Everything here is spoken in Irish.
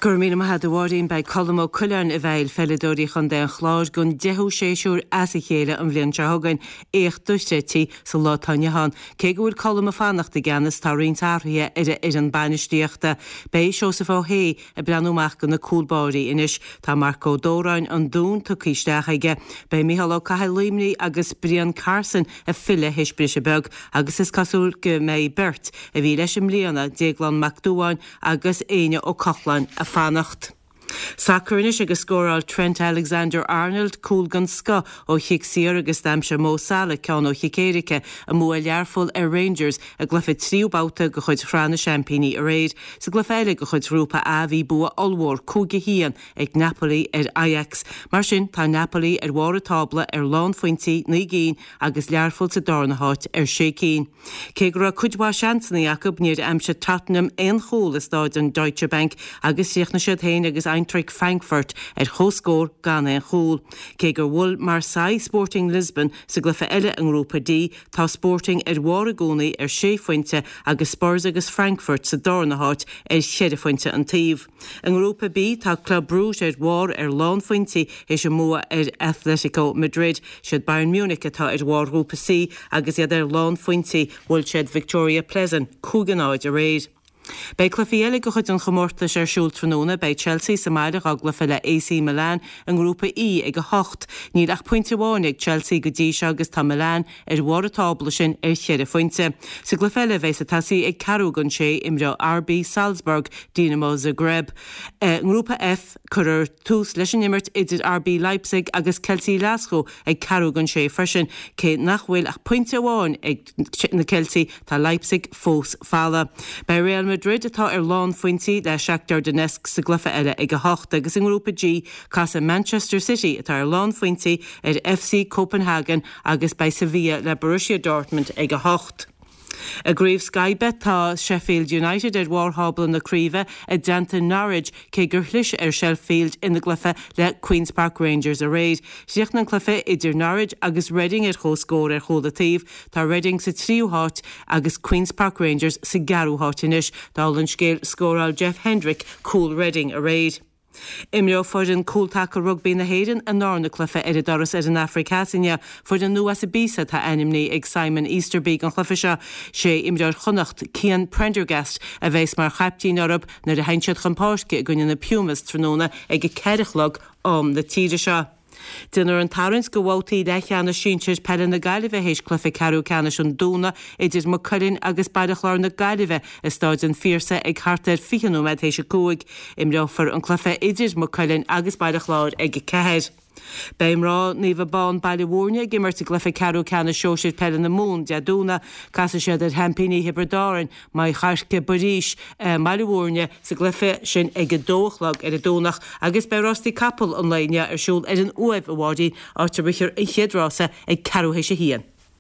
Go raibh míle maith agat a Mháirín. Beidh Colm Ó Coileáin i bhfeighil pheileadóirí Chontae an Chláir don deichiú séasúr as a chéile an bhliain seo chugainn, éacht dochreidte sa lá atá inniu ann. Cé go bhfuil Colm ag fanacht i gceannas, tá roinnt athruithe ar a fhoireann bainistíochta. Beidh Seosamh Ó hAodha ag breathnú amach do na cúl báirí anois. Tá Marc Ó Dóráin, An Dún, tugtha isteach aige. Beidh Micheál Ó Cathail, Luimnigh, agus Brian Carson ag filleadh théis briseadh beag agus is cosúil go mbeidh beirt a bhí leis i mbliana, Déaglán Mac Dubháin agus Éinne Ó Cochláin ag fanacht. Sacar anois agus scóráil Trent Alexander-Arnold cúl den scoth ó chic saor agus d'aimsigh Mo Salah ceann ó chic éirice i mbua Learpholl ar Rangers i gcluiche tríú babhta de chuid Shraith na Seaimpíní aréir. Sa gcluiche eile de chuid Ghrúpa A bhí bua ollmhór, 5-1, ag Napoli ar Ajax. Mar sin tá Napoli ar bharr an tábla ar lánphointí, 9 gcinn, agus Learpholl sa darna háit ar 6 cinn. Cé go raibh cuid mhaith seansanna acu, níor aimsigh Tottenham aon chúl i stáid an Deutsche Bank agus chríochnaigh siad féin agus Eintracht Frankfurt ar comhscór gan aon chúl. Cé gur bhuail Marseille Sporting Lisbon sa gcluiche eile i nGrúpa D, tá Sporting ar bharr i gcónaí ar sé phointe agus Spurs agus Frankfurt sa darna háit ar cheithre phointe an taobh. I nGrúpa B, tá Club Brugge ar bharr ar lánphointí théis a mbua ar Atletico Madrid. Siad Bayern Munich atá ar bharr Ghrúpa C agus iad ar lánphointí. Bhuail siad Viktoria Plzeň 5-0 aréir. Beidh cluichí eile de chuid an chomórtais ar siúl tráthnóna. Beidh Chelsea sa mbaile dhá gcluiche le AC Milan i nGrúpa E ag 8. Níl ach pointe amháin ag Chelsea go dtí seo agus tá Milan ar bharr an tábla sin ar cheithre phointe. Sa gcluiche eile a bheas ag tosaí ag ceathrú don sé, imreoidh RB Salzburg Dinamo Zagreb. I nGrúpa F, cuirfear tús leis an imirt idir RB Leipzig agus Ceiltigh Ghlaschú ag ceathrú don sé freisin. Cé nach bhfuil ach pointe amháin ag na Ceiltigh, tá Leipzig fós folamh. Beidh Real Madrid, atá ar lánphointí, le Shakhtar Donetsk sa gcluiche eile ag 8 agus i nGrúpa G, casfaidh Manchester City, atá ar lánphointí, ar FC Copenhagen agus beidh Sevilla le Borussia Dortmund ag 8. I gCraobh Sky Bet tá Sheffield United ar bharr thábla na craoibhe i dteannta Norwich cé gur chlis ar Sheffield ina gcluiche le Queens Park Rangers aréir. Chríochnaigh an cluiche idir Norwich agus Reading ar comhscór ar chúl an taobh. Tá Reading sa tríú háit agus Queens Park Rangers sa gceathrú háit anois. Dála an scéil scóráil Jeff Hendrick cúl Reading aréir. Imreoidh foireann cúltaca rugbaí na hÉireann a ndarna cluiche ar a dturas ar an Afraic Theas inniu. Foireann nua as Ibiza atá ainmnithe ag Simon Easterby don chluiche seo. Sé imreoir Chonnacht, Cian Prendergast, a bheas mar chaiptín orthu nuair a théann siad chun páirce i gcoinne na Pumas tráthnóna ag 4 a chlog, am na tíre seo. Déanfar an tarraingt do bhabhtaí leathcheannais sinsir peile na Gaillimhe théis cluiche ceathrú ceannais an Domhnaigh idir Maigh Cuilinn agus Baile Chláir na Gaillimhe i Stáid an Phiarsaigh ag thart ar 20 nóiméad théis 5. Imreofar an cluiche idir Maigh Cuilinn agus Baile Chláir ag 4. Beidh mná Naomh Abán Baile Mhúirne ag imirt i gcluiche ceathrú ceannais sóisir peile na Mumhan Dé Domhnaigh. Casfaidh siad ar sheaimpíní Thiobraid Árann, Maigh Choirce Buiríos, i mBaile Mhúirne sa gcluiche sin ag 2 a chlog ar an Domhnach agus beidh rástaí capall an lae inniu ar siúl ar an Uaimh, a Mháirín, áit a rithfear an chéad rása ag ceathrú théis a haon.